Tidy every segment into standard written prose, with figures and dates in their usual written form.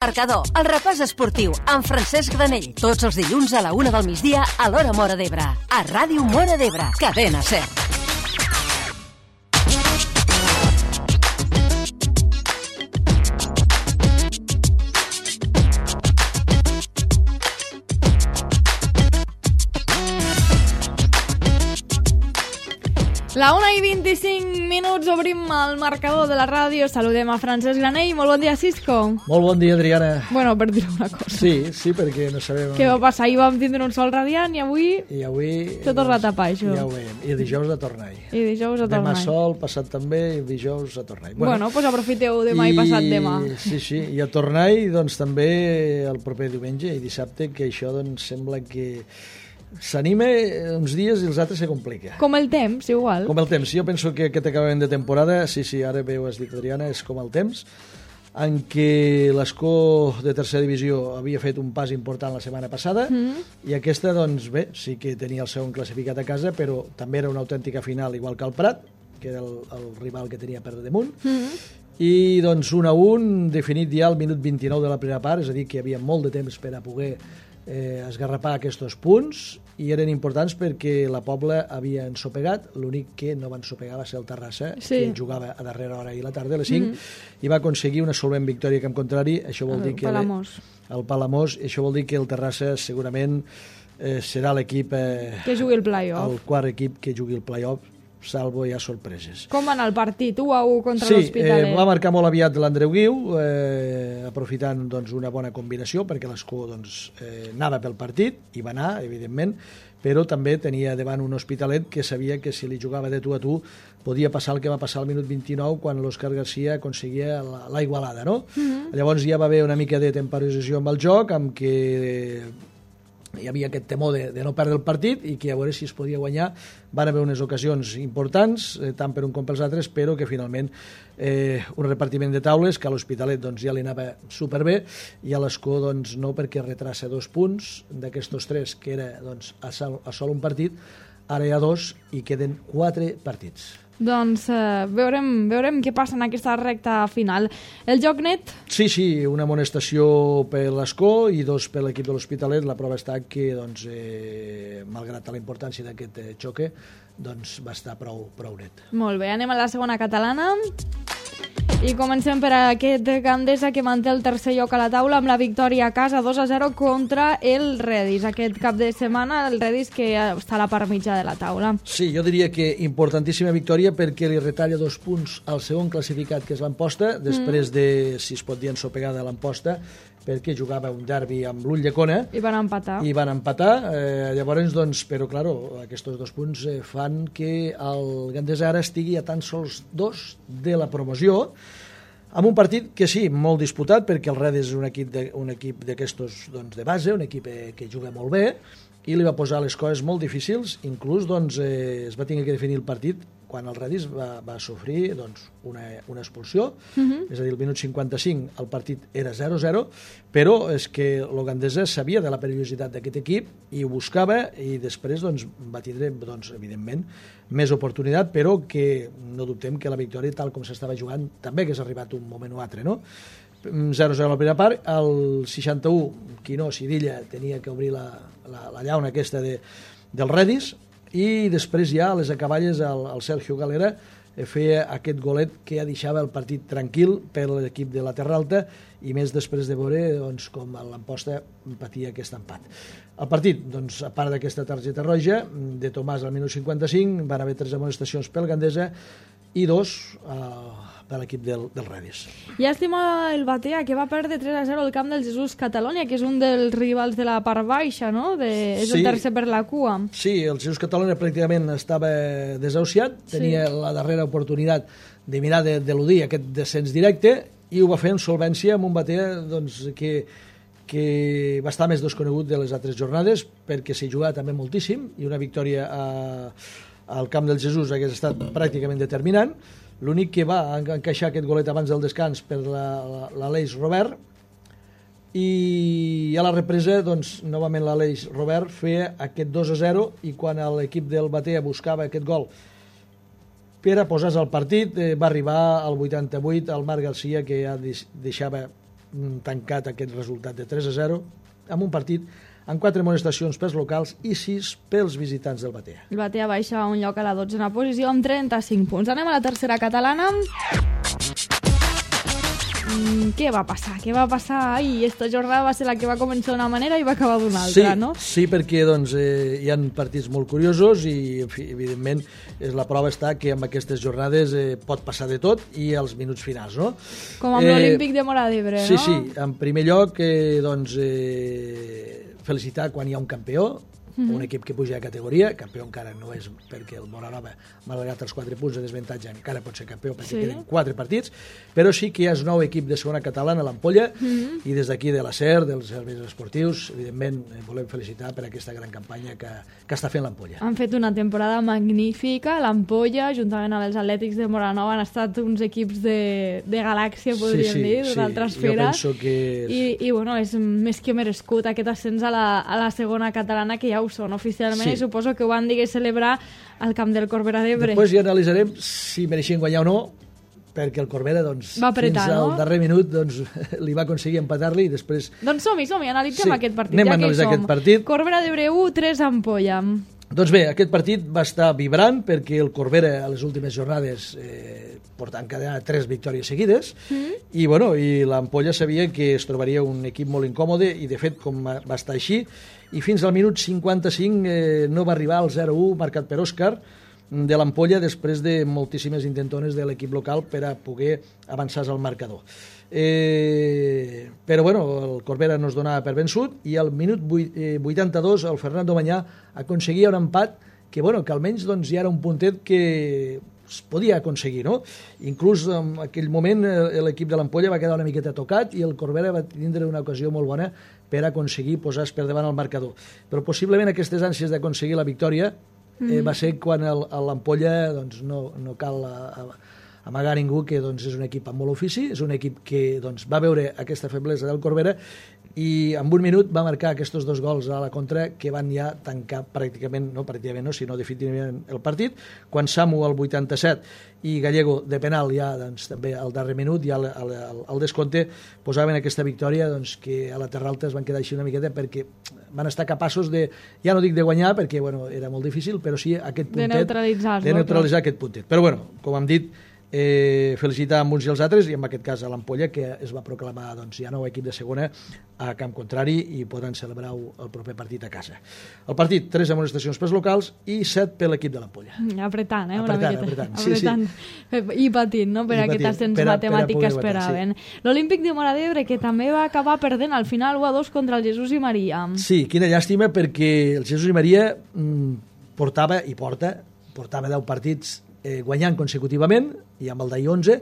Marcador, el repàs esportiu amb Francesc Granell. Tots els dilluns a la 1 del migdia a l'Hora Móra d'Ebre. A Ràdio Móra d'Ebre, Cadena SER. La 1:25, obrim el marcador de la ràdio. Saludem a Francesc Granell. Molt bon dia, Cisco. Molt bon dia, Adriana. Bueno, per dir una cosa. Sí, perquè no sabem... Què va passar? Ahir vam tindre un sol radiant i avui... I avui... Tot torna a tapar, això. Ja ho veiem. I dijous a tornar. Demà sol, passat també, i dijous a tornar. Bueno, doncs aprofiteu demà i passat demà. Sí, i a tornar, doncs també el proper diumenge i dissabte, que això doncs sembla que... s'anima uns dies i els altres se complica. Com el temps, igual. Com el temps. Jo penso que aquest acabament de temporada, sí, ara bé ho has dit, Adriana, és com el temps, en què l'Escó de tercera divisió havia fet un pas important la setmana passada i aquesta, doncs bé, sí que tenia el segon classificat a casa, però també era una autèntica final, igual que el Prat, que era el rival que tenia per damunt, i doncs 1-1, definit ja al minut 29 de la primera part, és a dir, que hi havia molt de temps per a poder esgarrapar aquests punts i eren importants perquè la Pobla havia ensopegat, l'únic que no va ensopegar va ser el Terrassa, que jugava a darrera hora i la tarda, a les 5, i va aconseguir una solvent victòria camp contrari. Això vol dir que el Palamós, això vol dir que el Terrassa segurament serà l'equip que jugui el play-off, el quart equip que jugui el play-off, salvo hi ha sorpreses. Com va anar el partit? 1-1 contra l'Hospitalet. Sí, va marcar molt aviat l'Andreu Guiu, aprofitant doncs, una bona combinació, perquè l'Escó doncs, anava pel partit, i va anar, evidentment, però també tenia davant un Hospitalet que sabia que si li jugava de tu a tu podia passar el que va passar al minut 29 quan l'Òscar Garcia aconseguia la igualada, no? Llavors ja va haver una mica de temporització amb el joc, amb què hi havia aquest temor de no perdre el partit i que a veure si es podia guanyar. Van haver unes ocasions importants, tant per un com pels altres, però que finalment un repartiment de taules que a l'Hospitalet doncs, ja li anava superbé i a l'Escó doncs, no, perquè retrassa 2 punts d'aquests 3 que era doncs, a sol un partit, ara hi ha 2 i queden 4 partits. Doncs veurem què passa en aquesta recta final. El joc net? Sí, una amonestació per l'Escó i 2 per l'equip de l'Hospitalet. La prova està que, doncs, malgrat la importància d'aquest xoque, doncs, va estar prou net. Molt bé, anem a la segona catalana. I comencem per aquest Gandesa que manté el tercer lloc a la taula amb la victòria a casa 2-0 contra el Redis. Aquest cap de setmana el Redis que està a la part mitja de la taula. Sí, jo diria que importantíssima victòria perquè li retalla 2 punts al segon classificat que és l'Amposta, després de, si es pot dir, ensopegada l'Amposta, perquè jugava un derbi amb l'Ulldecona. I van empatar. Llavors, doncs, però, claro, aquests 2 punts fan que el Gandesa ara estigui a tan sols 2 de la promoció, amb un partit que sí, molt disputat, perquè el Redis és un equip d'aquestos doncs, de base, un equip que juga molt bé, i li va posar les coses molt difícils, inclús doncs, es va tenir que definir el partit quan el Redis va sofrir doncs, una expulsió, és a dir, el minut 55 el partit era 0-0, però és que el Gandesa sabia de la perillositat d'aquest equip i ho buscava i després doncs, va tindre, doncs, evidentment, més oportunitat, però que no dubtem que la victòria, tal com s'estava jugant, també hagués arribat un moment o altre, no? 0-0 a la primera part, al 61 Quinó Sidilla tenia que obrir la llauna aquesta del Redis i després ja a les acaballes el Sergio Galera feia aquest golet que ja deixava el partit tranquil per l'equip de la Terra Alta i més després de veure doncs, com l'Amposta patia aquest empat. El partit, doncs, a part d'aquesta targeta roja de Tomàs al minut 55, van haver 3 amonestacions pel Gandesa i 2 de l'equip del Redis. Llàstima el Batea, que va perdre 3-0 al camp del Jesús Catalonia, que és un dels rivals de la part baixa, no? És el tercer per la cua. Sí, el Jesús Catalonia pràcticament estava desahuciat, tenia la darrera oportunitat de mirar d'eludir aquest descens directe i ho va fer amb solvència amb un Batea doncs, que va estar més desconegut de les altres jornades perquè s'hi jugava també moltíssim i una victòria al camp del Jesús hagués estat pràcticament determinant. L'únic que va encaixar aquest golet abans del descans per l'Aleix Robert i a la represa, doncs, novament l'Aleix Robert feia aquest 2-0 i quan l'equip del Batea buscava aquest gol per a posar-se al partit va arribar al 88 el Marc Garcia que ja deixava tancat aquest resultat de 3-0 amb un partit amb 4 amonestacions pels locals i 6 pels visitants del Batea. El Batea baixa un lloc a la 12a posició amb 35 punts. Anem a la tercera catalana. Què va passar? Ai, esta jornada va ser la que va començar d'una manera i va acabar d'una altra, no? Sí, perquè doncs, hi ha partits molt curiosos i, en fi, evidentment, la prova està que amb aquestes jornades pot passar de tot i als minuts finals, no? Com amb l'Olímpic de Móra d'Ebre, no? Sí, en primer lloc, felicitar quan hi ha un campió, un equip que puja de categoria, campió encara no és perquè el Moranova, malgrat els 4 punts de desventatge, encara pot ser campió perquè queden 4 partits, però sí que hi ha un nou equip de segona catalana, l'Ampolla, i des d'aquí de la SER, dels serveis esportius, evidentment volem felicitar per aquesta gran campanya que està fent l'Ampolla. Han fet una temporada magnífica, l'Ampolla, juntament amb els Atlètics de Moranova, han estat uns equips de galàxia, podríem dir, d'una altra esfera. Jo penso que... I bueno, és més que merescut aquest ascens a la segona catalana, que ja ho són oficialment, i suposo que ho van dir celebrar al camp del Corbera d'Ebre. Després ja analitzarem si mereixien guanyar o no, perquè el Corbera doncs, va apretar, fins al darrer minut doncs, li va aconseguir empatar-li i després... Doncs som-hi, analitzem aquest partit. Anem a analitzar aquest partit. Corbera d'Ebre 1, 3 Ampolla. Doncs bé, aquest partit va estar vibrant perquè el Corbera a les últimes jornades portant encadenat 3 victòries seguides i l'Ampolla sabia que es trobaria un equip molt incòmode i de fet com va estar així i fins al minut 55 no va arribar al 0-1 marcat per Òscar de l'Ampolla després de moltíssimes intentones de l'equip local per a poder avançar al marcador. Però el Corbera no es donava per vençut i al minut 82 el Fernando Mañà aconseguia un empat que almenys ja era un puntet que es podia aconseguir, no? Inclús en aquell moment l'equip de l'Ampolla va quedar una miqueta tocat i el Corbera va tindre una ocasió molt bona per aconseguir posar-se per davant el marcador. Però possiblement aquestes ànsies d'aconseguir la victòria va ser quan l'Ampolla no cal amagar ningú que és un equip amb molt ofici, és un equip que va veure aquesta feblesa del Corbera i en un minut va marcar aquests 2 gols a la contra que van ja tancar sinó definitivament el partit, quan Samu al 87 i Gallego de penal ja també al darrer minut, ja al descompte posaven aquesta victòria que a la Terra Alta es van quedar així una miqueta perquè van estar capaços ja no dic de guanyar perquè era molt difícil, però sí aquest puntet, de neutralitzar aquest puntet. Però com hem dit, felicitar amb uns i els altres i en aquest cas a l'Ampolla que es va proclamar ja nou equip de segona a camp contrari i podran celebrar el proper partit a casa. El partit, 3 amonestacions pels locals i 7 per l'equip de l'Ampolla. Apretant, apretant. I patint, no? Per aquest ascens matemàtic que esperaven. L'Olímpic de Móra d'Ebre que també va acabar perdent al final 1-2 contra el Jesús i Maria. Sí, quina llàstima perquè el Jesús i Maria portava 10 partits guanyant consecutivament i amb el d'ahir 11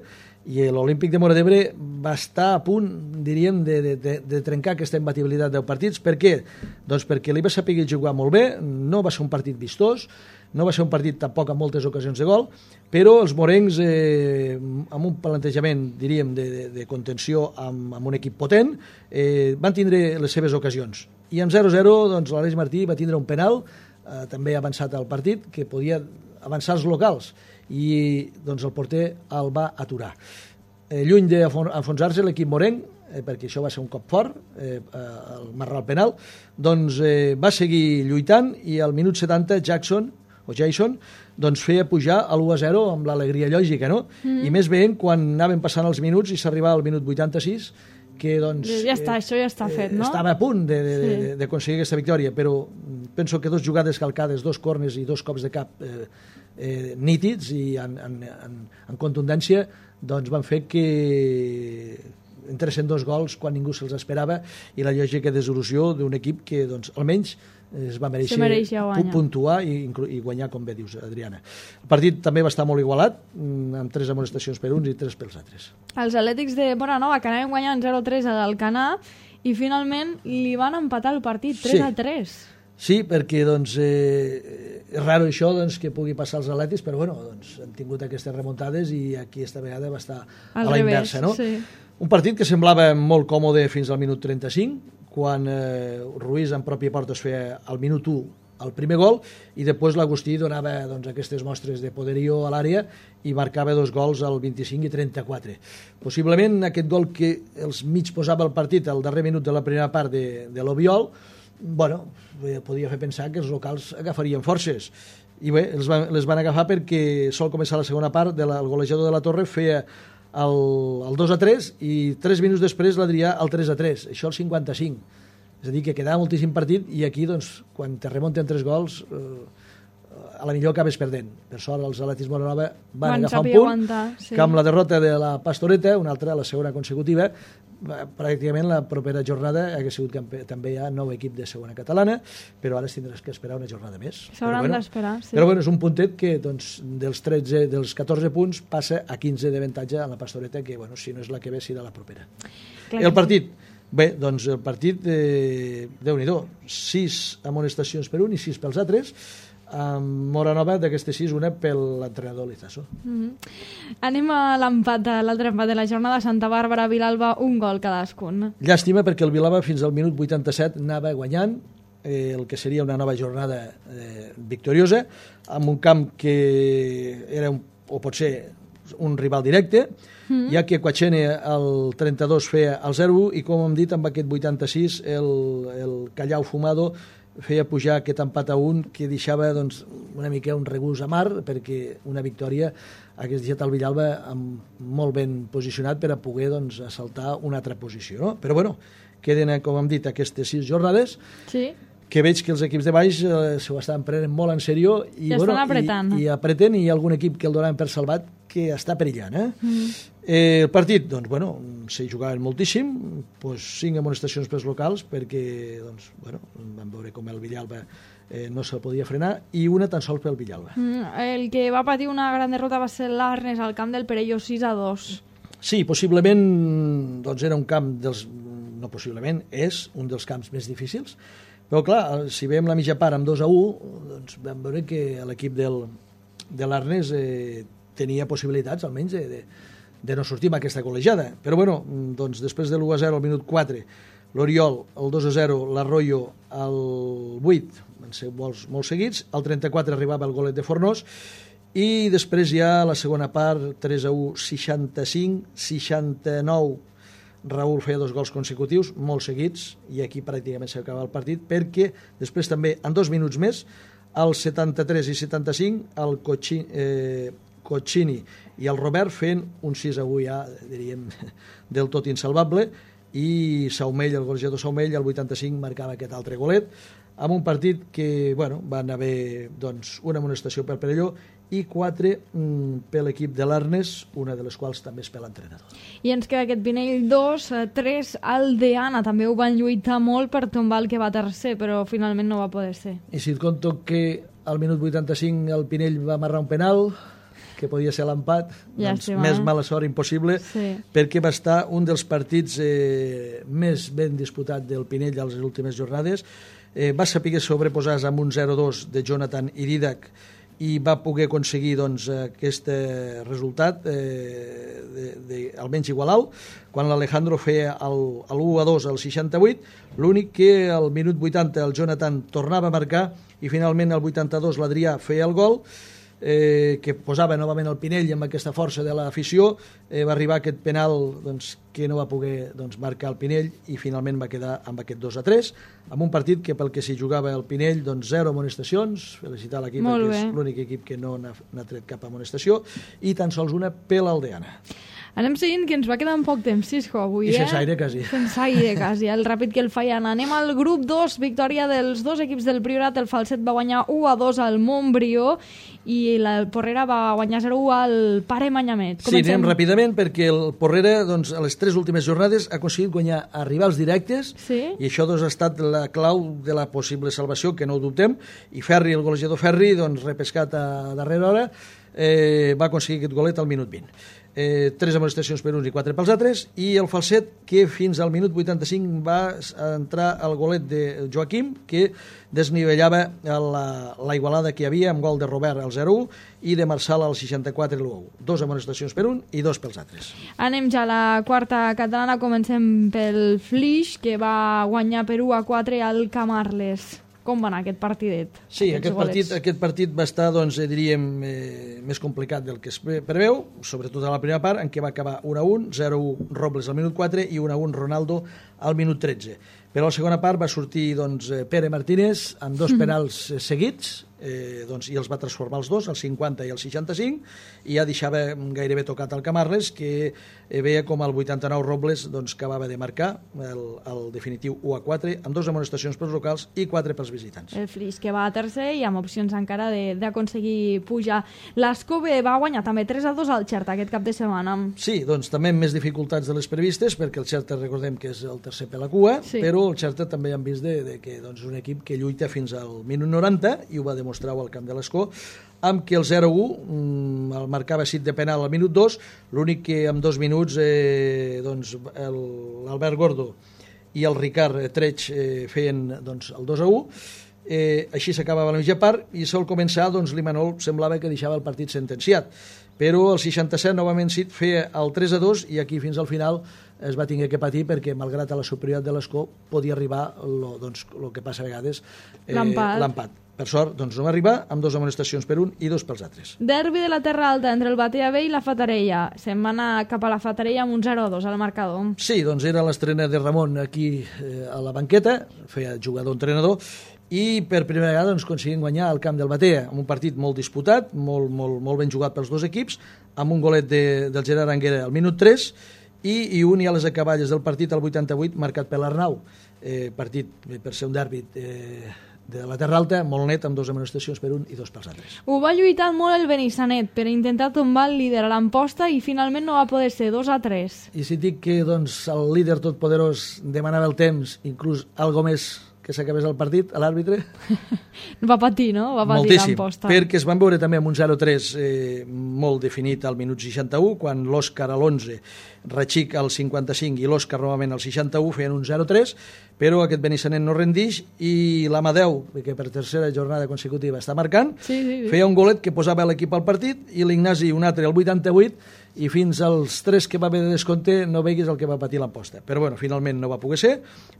i l'Olímpic de Móra d'Ebre va estar a punt, diríem, de trencar aquesta imbatibilitat de partits. Per què? Doncs perquè li va saber jugar molt bé, no va ser un partit vistós, no va ser un partit tampoc amb moltes ocasions de gol, però els morencs amb un plantejament, diríem, de contenció amb un equip potent van tindre les seves ocasions. I amb 0-0 doncs l'Aleix Martí va tindre un penal també avançat al partit que podia avançar els locals i doncs el porter el va aturar. Lluny d'enfonsar-se l'equip morenc, perquè això va ser un cop fort, el marrar el penal, doncs va seguir lluitant i al minut 70 Jason doncs feia pujar a l'1-0 amb l'alegria lògica, no? I més veient quan anaven passant els minuts i s'arribava al minut 86 que doncs... Això ja està fet, no? Estava a punt d'aconseguir aquesta victòria, però penso que 2 jugades calcades, 2 corners i 2 cops de cap nítids i en contundència doncs van fer que entressin 2 gols quan ningú se'ls esperava i la lògica desolució d'un equip que doncs almenys es va mereixer puntuar i guanyar, com bé dius, Adriana. El partit també va estar molt igualat, amb 3 amonestacions per uns i 3 pels altres. Els Atlètics de Moranova que anaven guanyant 0-3 a l'Alcanar i finalment li van empatar el partit 3-3. Sí, perquè doncs, és raro això que pugui passar als Atlètics, però doncs, han tingut aquestes remuntades i aquí esta vegada va estar a la inversa. No? Sí. Un partit que semblava molt còmode fins al minut 35, quan Ruiz en pròpia porta es feia al minut 1 el primer gol, i després l'Agustí donava doncs, aquestes mostres de poderio a l'àrea i marcava 2 gols al 25 i 34. Possiblement aquest gol que els mig posava el partit al darrer minut de la primera part de l'Obiol, bueno, podia fer pensar que els locals agafarien forces. I bé, les van agafar perquè sol començar la segona part, el golejador de la Torre feia el 2-3 i 3 minuts després l'Adrià el 3-3, això al 55. És a dir, que quedava moltíssim partit i aquí, doncs, quan te remunten 3 gols, a la millor acabes perdent. Per sort, els Atlètics Moranova van agafar un punt, sí. Que amb la derrota de la Pastoreta, una altra, la segona consecutiva, pràcticament la propera jornada hauria sigut també hi ha 9 equip de segona catalana, però ara tindràs que esperar una jornada més. S'hauran d'esperar, sí. Però bueno, és un puntet que doncs, dels 14 punts passa a 15 d'avantatge a la Pastoreta, que bueno, si no és la que ve serà la propera. Clar, el partit, bé, doncs el partit, Déu-n'hi-do, 6 amonestacions per un i 6 pels altres, amb Moranova d'aquestes 6, una per l'entrenador Lizaso. Anem a l'empat, l'altre empat de la jornada, Santa Bàrbara, Vilalba, un gol cadascun. Llàstima perquè el Vilalba fins al minut 87 anava guanyant el que seria una nova jornada victoriosa, amb un camp que era o potser un rival directe, ja que Quachene el 32 feia el 0-1 i com hem dit amb aquest 86 el Callao Fumado feia pujar aquest empat a 1 que deixava doncs, una mica un regús amar perquè una victòria hagués deixat el Villalba molt ben posicionat per a poder doncs, assaltar una altra posició. No? Però bueno, queden, com hem dit, aquestes 6 jornades sí. Que veig que els equips de baix s'ho estan prenent molt en sèrio i estan apretant. I apreten i hi ha algun equip que el donaven per salvat que està perillant. El partit, doncs, bueno, s'hi jugaven moltíssim, doncs 5 amonestacions pels locals perquè, doncs, bueno, vam veure com el Villalba no se'l podia frenar i una tan sols pel Villalba. El que va patir una gran derrota va ser l'Arnes al camp del Perelló 6-2. Sí, possiblement doncs era un camp no possiblement, és un dels camps més difícils. Però clar, si veiem la mitja part amb 2-1, doncs vam veure que l'equip de l'Arnes tenia possibilitats, almenys, de no sortir amb aquesta col·legiada. Però bueno, doncs després de l'1-0 al minut 4, l'Oriol, el 2-0, l'Arroyo, el 8, van ser gols molt seguits, al 34 arribava el golet de Fornós, i després ja la segona part, 3-1, 65, 69, Raúl feia 2 gols consecutius, molt seguits, i aquí pràcticament s'acaba el partit, perquè després també, en 2 minuts més, als 73 i 75, el Cochini i el Robert fent un 6-1 ja, diríem, del tot insalvable, i Saumell, el golejador Saumell, al 85 marcava aquest altre golet, amb un partit que, bueno, van haver doncs, una amonestació pel Perelló i 4 per l'equip de l'Arnes, una de les quals també és per l'entrenador. I ens queda aquest Pinell 2, 3 Aldeana, també ho van lluitar molt per tombar el que va tercer, però finalment no va poder ser. I si et conto que al minut 85 el Pinell va amarrar un penal, que podia ser l'empat, doncs més mala sort impossible, sí. Perquè va estar un dels partits més ben disputat del Pinell a les últimes jornades, va saber sobreposar-se amb un 0-2 de Jonathan i Didac i va poder aconseguir doncs, aquest resultat almenys igualar-lo quan l'Alejandro feia el 1-2 al 68, l'únic que al minut 80 el Jonathan tornava a marcar i finalment al 82 l'Adrià feia el gol que posava novament el Pinell amb aquesta força de l'afició, va arribar aquest penal doncs, que no va poder doncs, marcar el Pinell i finalment va quedar amb aquest 2-3, amb un partit que pel que s'hi jugava el Pinell, doncs 0 amonestacions, felicitar l'equip perquè és l'únic equip que no n'ha tret cap amonestació i tan sols una per l'Aldeana. Anem seguint, que ens va quedar un poc temps, Cisco, avui, I sense aire, quasi. Sense aire, quasi, el ràpid que el feien. Anem al grup 2, victòria dels 2 equips del Priorat. El Falset va guanyar 1-2 al Montbrió i la Porrera va guanyar 0-1 al Pare Manyamet. Sí, anem ràpidament perquè el Porrera, doncs, a les 3 últimes jornades ha aconseguit guanyar a rivals directes i això doncs, ha estat la clau de la possible salvació, que no ho dubtem, i Ferri, el golejador Ferri, doncs, repescat a darrera hora, va aconseguir aquest golet al minut 20. 3 amonestacions per uns i 4 pels altres, i el Falset, que fins al minut 85 va entrar el golet de Joaquim, que desnivellava la igualada que hi havia amb gol de Robert al 0-1 i de Marçal al 64 l'1-1. 2 amonestacions per un i 2 pels altres. Anem ja a la quarta catalana, comencem pel Flix, que va guanyar per 1-4 al Camarles. Com va anar aquest partidet? Sí, aquest partit va estar, doncs, diríem, més complicat del que es preveu, sobretot a la primera part, en què va acabar 1-1, 0-1 Robles al minut 4 i 1-1 Ronaldo al minut 13. Però a la segona part va sortir, doncs, Pere Martínez amb 2 penals seguits, doncs, i els va transformar els dos, el 50 i el 65, i ja deixava gairebé tocat el Camarles, que veia com el 89 Robles, doncs, acabava de marcar el definitiu 1-4, amb 2 amonestacions pels locals i 4 pels visitants. El Flix, que va a tercer i amb opcions encara d'aconseguir pujar. l'Escove va guanyar també 3-2 al Xerta aquest cap de setmana. Sí, doncs també amb més dificultats de les previstes, perquè el Xerta recordem que és el tercer per la cua, sí. Però el Xerta també hem vist que doncs, és un equip que lluita fins al minut 90 i ho va demostrar al camp de l'Escó, amb que el 0-1 el marcava Cid de penal al minut 2, l'únic que en 2 minuts doncs, l'Albert Gordo i el Ricard Treig feien doncs, el 2-1, així s'acabava la mitja part i sol començar, doncs l'Imanol semblava que deixava el partit sentenciat, però el 67 novament Cid feia el 3-2 i aquí fins al final es va tenir que patir perquè malgrat a la superioritat de l'Escó podia arribar doncs, el que passa a vegades l'empat. Per sort, doncs no va arribar, amb 2 amonestacions per un i 2 pels altres. Derbi de la Terra Alta entre el Batea B i la Fatarella. Se'n va anar cap a la Fatarella amb un 0-2 al marcador. Sí, doncs era l'estrena de Ramon aquí a la banqueta, feia jugador-entrenador, i per primera vegada doncs, aconseguim guanyar al camp del Batea, amb un partit molt disputat, molt ben jugat pels dos equips, amb un golet del Gerard Anguera al minut 3 i un i a les acaballes del partit al 88 marcat per l'Arnau. Partit per ser un derbi de la Terra Alta, molt net, amb 2 amonestacions per un i 2 pels altres. Ho va lluitar molt el Benissanet per intentar tombar el líder a l'emposta i finalment no va poder ser, 2-3. I si dic que doncs, el líder totpoderós demanava el temps, inclús algo més que s'acabés el partit, a l'àrbitre... Va patir, no? Va patir l'emposta. Perquè es van veure també amb un 0-3 molt definit al minut 61, quan l'Òscar a l'11, Ratxic al 55 i l'Òscar novament al 61 feien un 0-3, però aquest Benissanet no rendix i l'Amadeu, que per tercera jornada consecutiva està marcant, feia un golet que posava l'equip al partit i l'Ignasi un altre al 88 i fins als 3 que va haver de descompte no veiguis el que va patir l'emposta. Però bueno, finalment no va poder ser,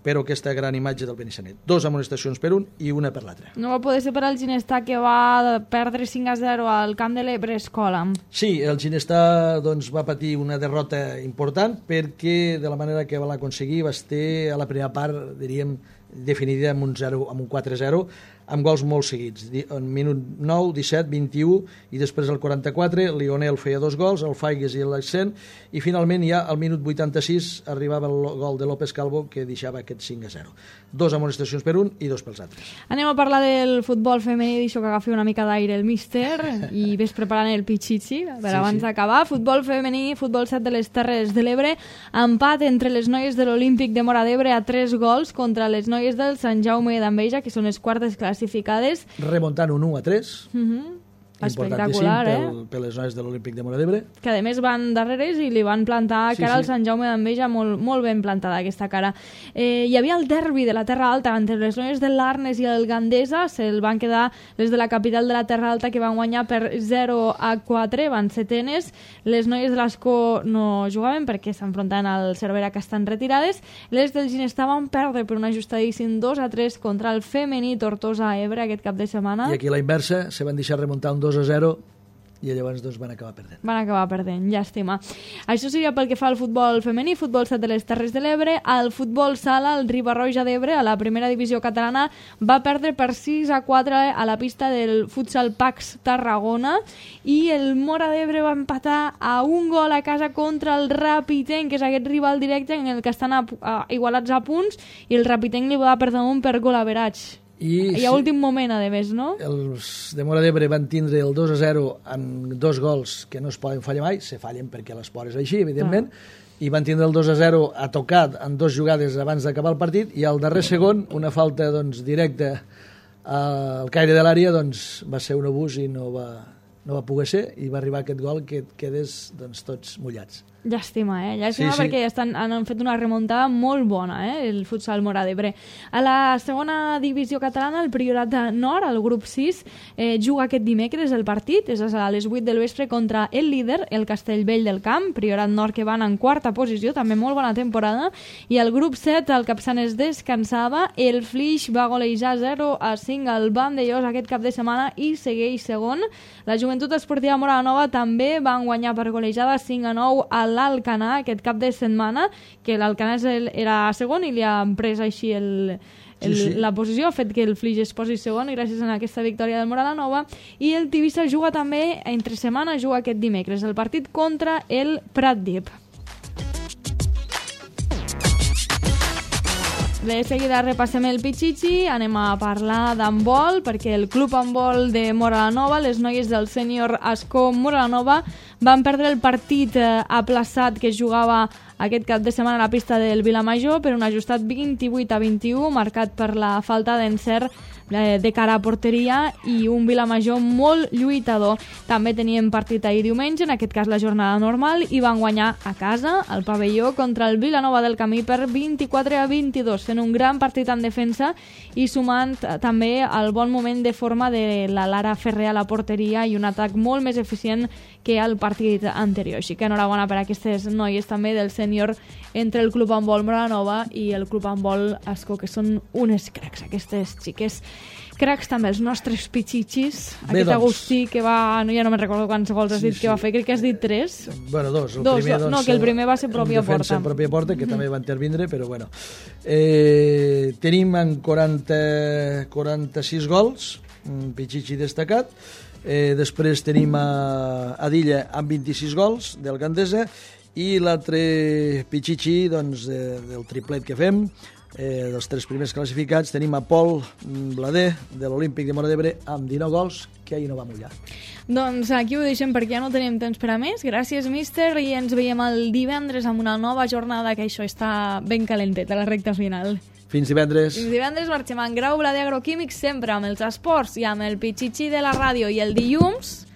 però aquesta gran imatge del Benissanet. 2 amonestacions per un i una per l'altre. No va poder ser per al Ginestà, que va perdre 5-0 al camp de l'Ebre Escola. Sí, el Ginestà doncs, va patir una derrota important perquè de la manera que va l'aconseguir va estar a la primera part, diríem, definida amb un 4-0, amb gols molt seguits. En minut 9, 17, 21 i després el 44, Lionel feia 2 gols, el Faigues i l'Accent, i finalment ja al minut 86 arribava el gol de López Calvo que deixava aquest 5-0. 2 amonestacions per un i 2 pels altres. Anem a parlar del futbol femení, deixo que agafi una mica d'aire el míster i ves preparant el pitxitxi per abans d'acabar. Futbol femení, futbol 7 de les Terres de l'Ebre, empat entre les noies de l'Olímpic de Móra d'Ebre a 3 gols contra les noies del Sant Jaume d'Enveja, que són les quartes classificades. Remuntant un 1-3. Espectacular, per les noies de l'Olímpic de Móra d'Ebre. Que a més van darreres i li van plantar cara al Sant Jaume d'Enveja, molt ben plantada aquesta cara. Hi havia el derbi de la Terra Alta entre les noies de l'Arnes i el Gandesa, se'l van quedar les de la capital de la Terra Alta, que van guanyar per 0-4, van setenes. Les noies de l'Escó no jugaven perquè s'enfrontaven al Cervera, que estan retirades. Les del Ginestà van perdre per un ajustadíssim 2-3 contra el femení Tortosa-Ebre aquest cap de setmana. I aquí a la inversa se van deixar remuntar un 2-0 i llavors doncs, van acabar perdent. Van acabar perdent, llàstima. Això seria pel que fa al futbol femení, futbol 7 de les Terres de l'Ebre. Al futbol sala, el Riba-roja d'Ebre, a la primera divisió catalana, va perdre per 6-4 a la pista del Futsal Pax Tarragona i el Móra d'Ebre va empatar a un gol a casa contra el Rapitenc, que és aquest rival directe en el que estan igualats a punts, i el Rapitenc li va perdre un per gol average. I a últim moment, a més, no? Els de Móra d'Ebre van tindre el 2-0 amb 2 gols que no es poden fallar mai, se fallen perquè l'esport és així, evidentment, i van tindre el 2-0 a tocat en 2 jugades abans d'acabar el partit, i al darrer segon, una falta doncs, directa al caire de l'àrea, doncs, va ser un abús i no va poder ser, i va arribar aquest gol que quedés doncs, tots mullats. Llàstima, Llàstima Sí. perquè han fet una remuntada molt bona, el futsal Móra d'Ebre. A la segona divisió catalana, el Priorat Nord, el grup 6, juga aquest dimecres el partit, és a les 8 del vespre contra el líder, el Castellvell del Camp, Priorat Nord que van en quarta posició, també molt bona temporada, i el grup 7, el Capçanes descansava, el Flix va golejar 0-5 al Vandellós aquest cap de setmana i segueix segon. La Joventut Esportiva Móra la Nova també van guanyar per golejada 5-9 a l'Alcanar aquest cap de setmana, que l'Alcanar era segon i li han pres així la posició, ha fet que el Flix es posi segon gràcies a aquesta victòria del Móra la Nova. I el Tivissa juga també, entre setmana, juga aquest dimecres, el partit contra el Pratdip. De seguida repassem el Pichichi, anem a parlar d'handbol, perquè el club handbol de Móra la Nova, les noies del sènior Ascó Móra la Nova, van perdre el partit aplaçat que jugava aquest cap de setmana a la pista del Vilamajor per un ajustat 28-21, marcat per la falta d'encert de cara a porteria i un Vilamajor molt lluitador. També teníem partit ahir diumenge, en aquest cas la jornada normal, i van guanyar a casa, al pavelló, contra el Vilanova del Camí per 24-22, fent un gran partit en defensa i sumant també el bon moment de forma de la Lara Ferrer a la porteria i un atac molt més eficient que al partit anterior. Així que enhorabona per aquestes noies també del sènior entre el Club Handbol Móra la Nova i el Club Handbol Ascó, que són unes cracs, aquestes xiques. Cracs també els nostres pichichis. Bé, Aquest doncs. Agustí que va... No, ja no me'n recordo quants gols has dit que va fer, crec que has dit 3. Bueno, 2. No, que el primer va ser pròpia porta. En pròpia porta, que també va intervindre, però bueno. Tenim en 46 gols, un pichichi destacat. Després tenim a Dilla amb 26 gols, del Gandesa, i l'altre pichichi, doncs, del triplet que fem, dels 3 primers classificats, tenim a Pol Blader, de l'Olímpic de Móra d'Ebre, amb 19 gols, que ahir no va mullar. Doncs aquí ho deixem perquè ja no tenim temps per a més. Gràcies, míster, i ens veiem el divendres amb una nova jornada, que això està ben calentet a la recta final. Fins divendres. Fins divendres marxem en Grau Blader Agroquímics, sempre amb els esports i amb el Pichichi de la ràdio, i el dilluns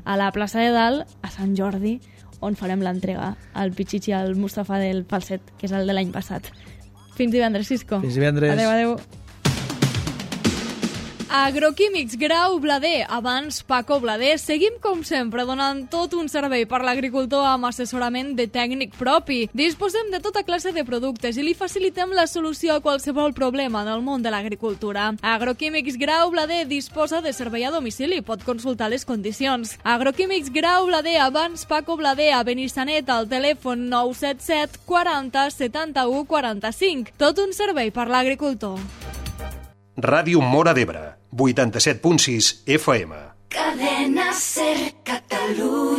a la plaça de Dalt, a Sant Jordi, on farem l'entrega al Pichichi al Mustafa del Falset, que és el de l'any passat. Fins divendres, Cisco. Fins divendres. Adéu. Agroquímics Grau Blader, abans Paco Blader. Seguim, com sempre, donant tot un servei per l'agricultor amb assessorament de tècnic propi. Disposem de tota classe de productes i li facilitem la solució a qualsevol problema en el món de l'agricultura. Agroquímics Grau Blader disposa de servei a domicili. Pot consultar les condicions. Agroquímics Grau Blader, abans Paco Blader, a Benissanet, al telèfon 977 40 71 45. Tot un servei per l'agricultor. Ràdio Móra d'Ebre, 87.6 FM. Cadena Ser Catalunya.